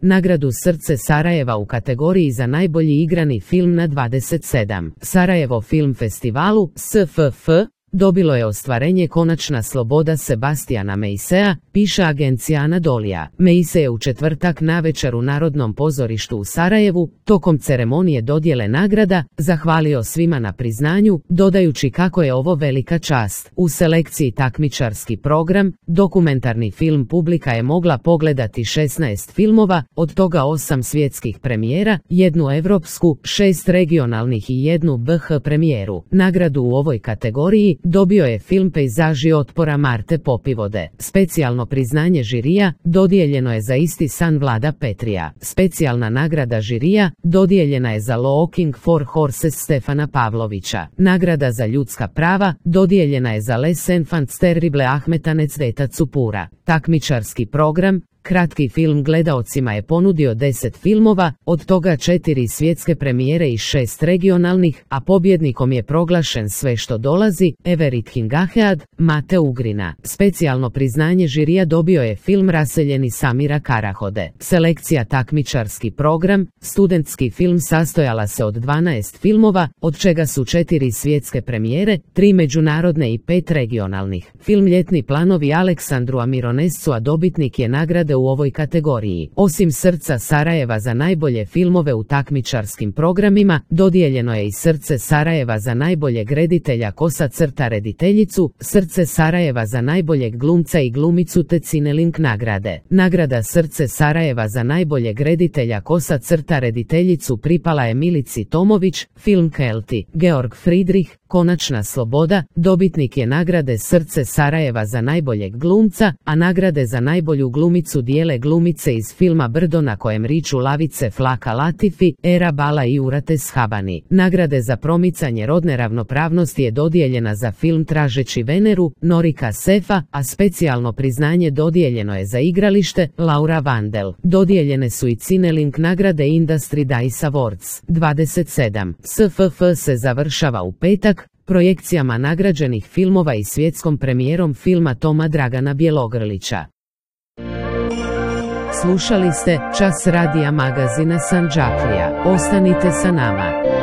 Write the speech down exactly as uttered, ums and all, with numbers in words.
nagradu Srce Sarajeva u kategoriji za najbolji igrani film na dvadeset sedam Sarajevo Film Festivalu S F F dobilo je ostvarenje Konačna sloboda Sebastijana Meisea, piše agencija Anadolija. Meise je u četvrtak navečer u Narodnom pozorištu u Sarajevu, tokom ceremonije dodjele nagrada, zahvalio svima na priznanju, dodajući kako je ovo velika čast. U selekciji takmičarski program, dokumentarni film publika je mogla pogledati šesnaest filmova, od toga osam svjetskih premijera, jednu evropsku, šest regionalnih i jednu B H premijeru. Nagradu u ovoj kategoriji dobio je film Pejzaži otpora Marte Popivode. Specijalno priznanje žirija dodijeljeno je za Isti san Vlada Petrija. Specijalna nagrada žirija dodijeljena je za Looking for Horses Stefana Pavlovića. Nagrada za ljudska prava dodijeljena je za Les Enfants Terribles Ahmeta Necdeta Cupura. Takmičarski program kratki film gledaocima je ponudio deset filmova, od toga četiri svjetske premijere i šest regionalnih, a pobjednikom je proglašen Sve što dolazi, Everett Hingahead, Mate Ugrina. Specijalno priznanje žirija dobio je film Raseljeni Samira Karahode. Selekcija takmičarski program, studentski film sastojala se od dvanaest filmova, od čega su četiri svjetske premijere, tri međunarodne i pet regionalnih. Film Ljetni planovi Aleksandru Mironescu, a dobitnik je nagrade u ovoj kategoriji. Osim Srca Sarajeva za najbolje filmove u takmičarskim programima, dodijeljeno je i Srce Sarajeva za najboljeg reditelja kosa crta rediteljicu, Srce Sarajeva za najboljeg glumca i glumicu te Cinelink nagrade. Nagrada Srce Sarajeva za najboljeg reditelja kosa crta rediteljicu pripala je Milici Tomović, film Kelti. Georg Friedrich, Konačna sloboda, dobitnik je nagrade Srce Sarajeva za najboljeg glumca, a nagrade za najbolju glumicu dijele glumice iz filma Brdo na kojem riču lavice Flaka Latifi, Era Bala i Urate Shabani. Nagrade za promicanje rodne ravnopravnosti je dodijeljena za film Tražeći Veneru, Norika Sefa, a specijalno priznanje dodijeljeno je za igralište, Laura Vandel. Dodijeljene su i Cinelink nagrade Industry Dice Awards. dvadeset sedam S F F se završava u petak, projekcijama nagrađenih filmova i svjetskom premijerom filma Toma Dragana Bjelogrlića. Slušali ste Čas radija magazina Sandžaklija. Ostanite sa nama.